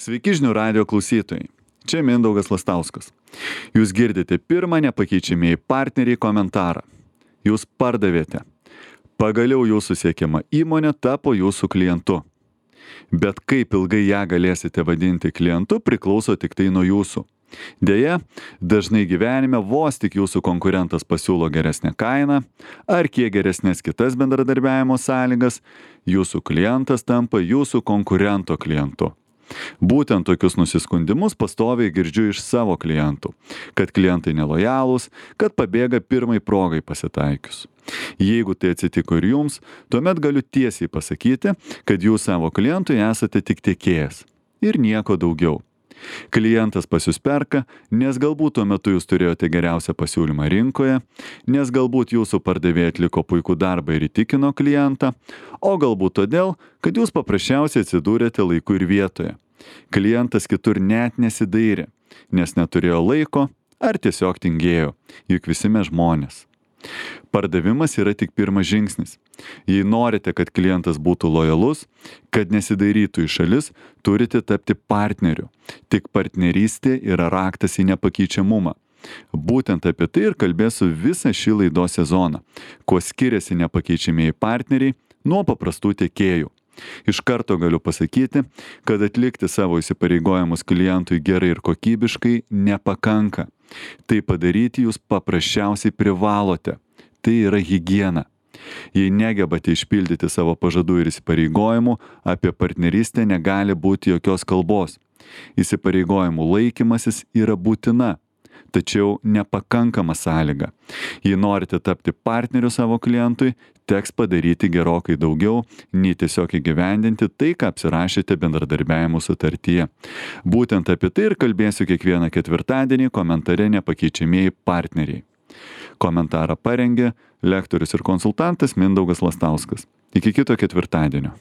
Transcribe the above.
Sveiki žinių radijo klausytojai. Čia Mindaugas Lastauskas. Jūs girdite pirmą nepakeičiamieji partneriai komentarą. Jūs pardavėte. Pagaliau jūsų siekiama įmonė tapo jūsų klientu. Bet kaip ilgai ją galėsite vadinti klientu priklauso tik tai nuo jūsų. Deja, dažnai gyvenime vos tik jūsų konkurentas pasiūlo geresnę kainą ar kiek geresnės kitas bendradarbiavimo sąlygas, jūsų klientas tampa jūsų konkurento klientu. Būtent tokius nusiskundimus pastoviai girdžiu iš savo klientų, kad klientai nelojalūs, kad pabėga pirmai progai pasitaikius. Jeigu tai atsitiko ir jums, tuomet galiu tiesiai pasakyti, kad jūs savo klientui esate tik tiekėjas ir nieko daugiau. Klientas pas jūs perka, nes galbūt tuo metu jūs turėjote geriausią pasiūlymą rinkoje, nes galbūt jūsų pardavėjai atliko puikų darbą ir įtikino klientą, o galbūt todėl, kad jūs paprasčiausiai atsidūrėte laiku ir vietoje. Klientas kitur net nesidairė, nes neturėjo laiko ar tiesiog tingėjo, juk visi mes žmonės. Pardavimas yra tik pirmas žingsnis. Jei norite, kad klientas būtų lojalus, kad nesidairytų į šalis, turite tapti partneriu. Tik partnerystė yra raktas į nepakeičiamumą. Būtent apie tai ir kalbėsiu visą šį laidos sezoną, kuo skiriasi nepakeičiamieji partneriai nuo paprastų tiekėjų. Iš karto galiu pasakyti, kad atlikti savo įsipareigojimus klientui gerai ir kokybiškai nepakanka. Tai padaryti jūs paprasčiausiai privalote. Tai yra higiena. Jei negebate išpildyti savo pažadų ir įsipareigojimų, apie partnerystę negali būti jokios kalbos. Įsipareigojimų laikymasis yra būtina, tačiau nepakankama sąlyga. Jei norite tapti partneriu savo klientui, teks padaryti gerokai daugiau, nei tiesiog įgyvendinti tai, ką apsirašėte bendradarbiavimo sutartyje. Būtent apie tai ir kalbėsiu kiekvieną ketvirtadienį komentare nepakeičiamieji partneriai. Komentarą parengė lektorius ir konsultantas Mindaugas Lastauskas. Iki kito ketvirtadienio.